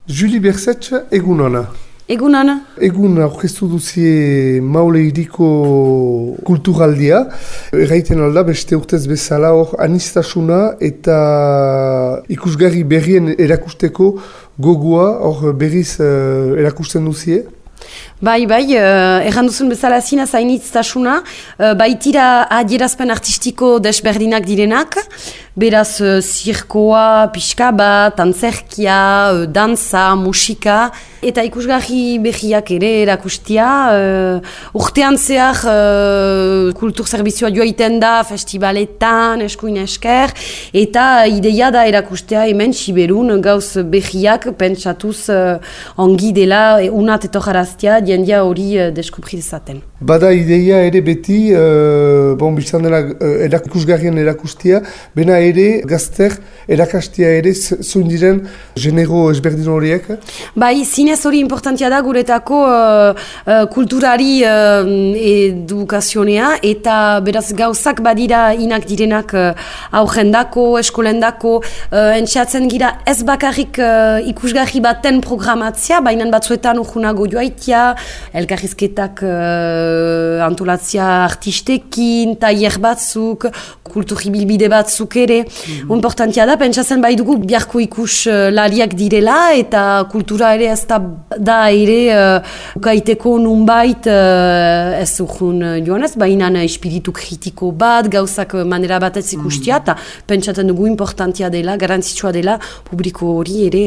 Julie Bersetx, egun hona. Egun hona. Egun aurkeztu duzie Maule Hiriko kulturaldia. Erraiten alda, beste urtez bezala hor anistasuna eta ikusgarri berrien erakusteko gogoa hor berriz erakusten duzie. Bai, erran duzun bezala zina zainitztasuna, baitira adierazpen artistiko desberdinak direnak, beraz zirkoa, pixka bat, antzerkia, danza, musika, eta ikusgarri berriak ere erakustia. Urtean zehar kultur zerbizioa joaiten da festivaletan, eskuin esker, eta ideia da erakustea hemen Siberun gauz berriak pentsatuz ongi dela unat etorraraztia, jendia hori deskubri dezaten. Bada ideia ere beti, biztan dela ikusgarrien erakustia, bena ere gazter erakastia ere zuen diren genero ezberdin horiek? Bai, zinez hori importantia da guretako kulturari edukazionea, eta beraz gauzak badira inak direnak aurrendako, eskolendako, entxeatzen gira ez bakarrik ikusgarri baten programatzia, baina batzuetan urgunago joaitia, elkarrizketak antolatzia artistekin, tailer batzuk, kulturribilbide batzuk ere. Importantia da, pentsatzen bai dugu biharko ikus lariak direla, eta kultura ere ez da ere ukaiteko nunbait ez urgun joanez, baina espiritu kritiko bat, gauzak manera batez ikustia, eta pentsatzen dugu importantia dela, garantzitsua dela, publiko hori ere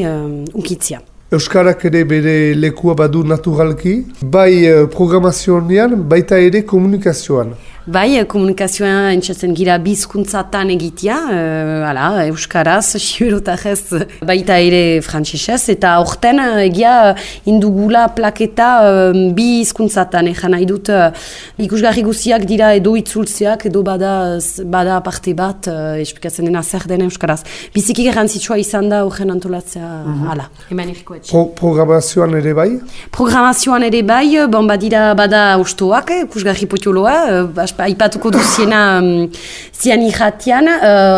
unkitzia. Euskarak ere bere lekua badu naturalki, bai programazioan, baita ere komunikazioan. Bai, komunikazioa entzatzen gira bizkuntzatan egitea, euskaraz, siberotarez, baita ere frantsesez, eta horten egia indugula plaketa bi hizkuntzatan, nahi dut ikusgarri guziak dira edo itzultzeak, edo bada parte bat, esplikatzen dena zer den euskaraz. Biziki garrantzitsua izan da horren antolatzea, hemen erikoetxe. Programazioan ere bai? Programazioan ere bai, bada ustoak, ikusgarri potioloa, aipatuko duziena zian irratian,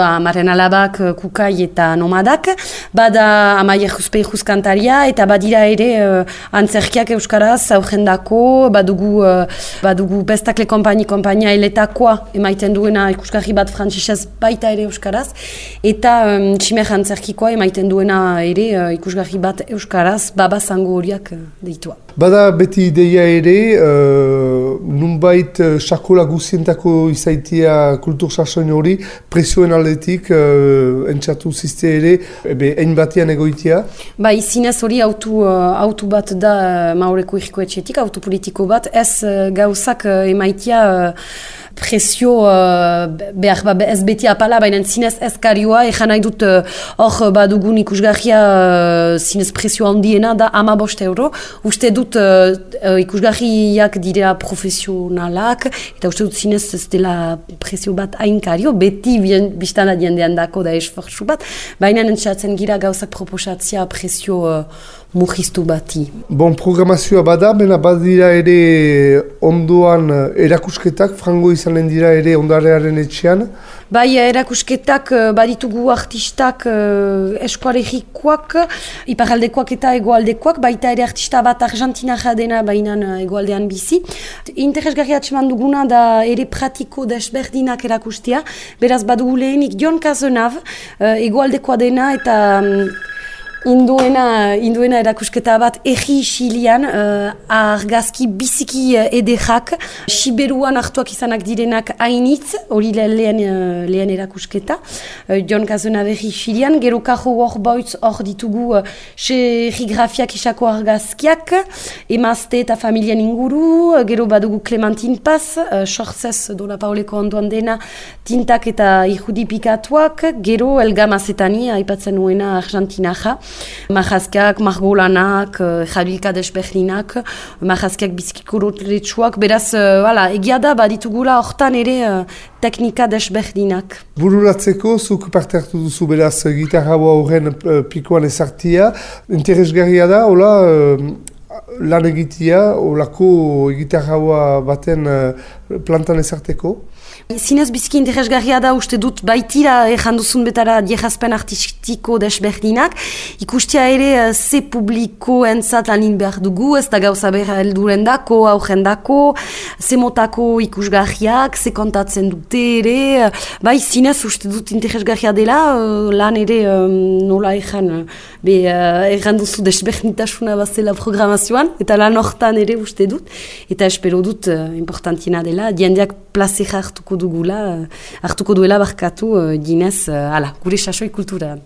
amaren alabak, kukai eta nomadak, bada amaier juzpeiruz kantaria, eta badira ere antzerkiak euskaraz, aurrendako, badugu bestakle kompainia eletakoa emaiten duena ikusgarri bat frantsesez baita ere euskaraz, eta tximer antzerkikoa emaiten duena ere ikusgarri bat euskaraz, babazango horiak deitua. Bada beti ideia ere, nunbait sakola guzientako izaitia kultur sasoin hori, presioen aldetik entzatu zizte ere, ein batean egoitia? Ba, izinez hori autu bat da Maureko irikoetxetik, autu politiko bat, ez gauzak emaitia presio ez beti apala, baina zinez ez karioa, nahi dut hor badugun ikusgarria zinez presio handiena da 15 euro. Uste dut ikusgarriak dira profesionalak, eta uste dut zinez ez dela presio bat hain kario, beti biztana diendean dako da esfortzu bat, baina entzatzen gira gauzak proposatzia presio murriztu bati. Programazioa bada, bena badira ere ondoan erakusketak, frango izanen dira ere ondarearen etxean? Bai, erakusketak baditugu artistak eskualerikoak, iparaldekoak eta egoaldekoak, baita ere artista bat argentinarra dena bainan egoaldean bizi. Interesgarri atseman duguna da ere pratiko desberdinak erakustia, beraz badugu lehenik Jon Cazenav, egoaldekoa dena eta Induena erakusketa bat egi xilian, argazki biziki ederrak, Siberuan hartuak izanak direnak hainitz, hori lehen erakusketa, Jon Cazenav egi xilian, gero kajo hor boitz hor ditugu serigrafiak isako argazkiak, emazte eta familian inguru, gero badugu Clementine Paz, sortzez Dona Pauleko ondoan dena, tintak eta irudipikatuak, gero Elga Mazetani, aipatzen nuena argentinaja, Majazkiak, margolanak, jabilka desberdinak, majazkiak bizkikorotletsuak, beraz, egia da, baditugula hortan ere teknika desberdinak. Bururatzeko, zuk parte hartu duzu beraz gitarra horren pikoan ezartia, interesgarria da, hola, lan egitea, olako gitarra baten plantan ezarteko? Zinez biziki interesgarria da uste dut baitira janduzun betara diejazpen artistiko desberdinak. Ikustia ere ze publiko entzat lanin behar dugu, ez da gauza behar helduren dako, aurren dako, ze motako ikusgarriak, ze kontatzen dute ere. Bai, zinez uste dut interesgarria dela, lan ere nola erranduzu desberdintasuna bazela programazioan, eta lan hortan ere uste dut, eta espero dut importantina dela, diendeak plazera hartuko duela barkatu ginez, gure sasoi kultura.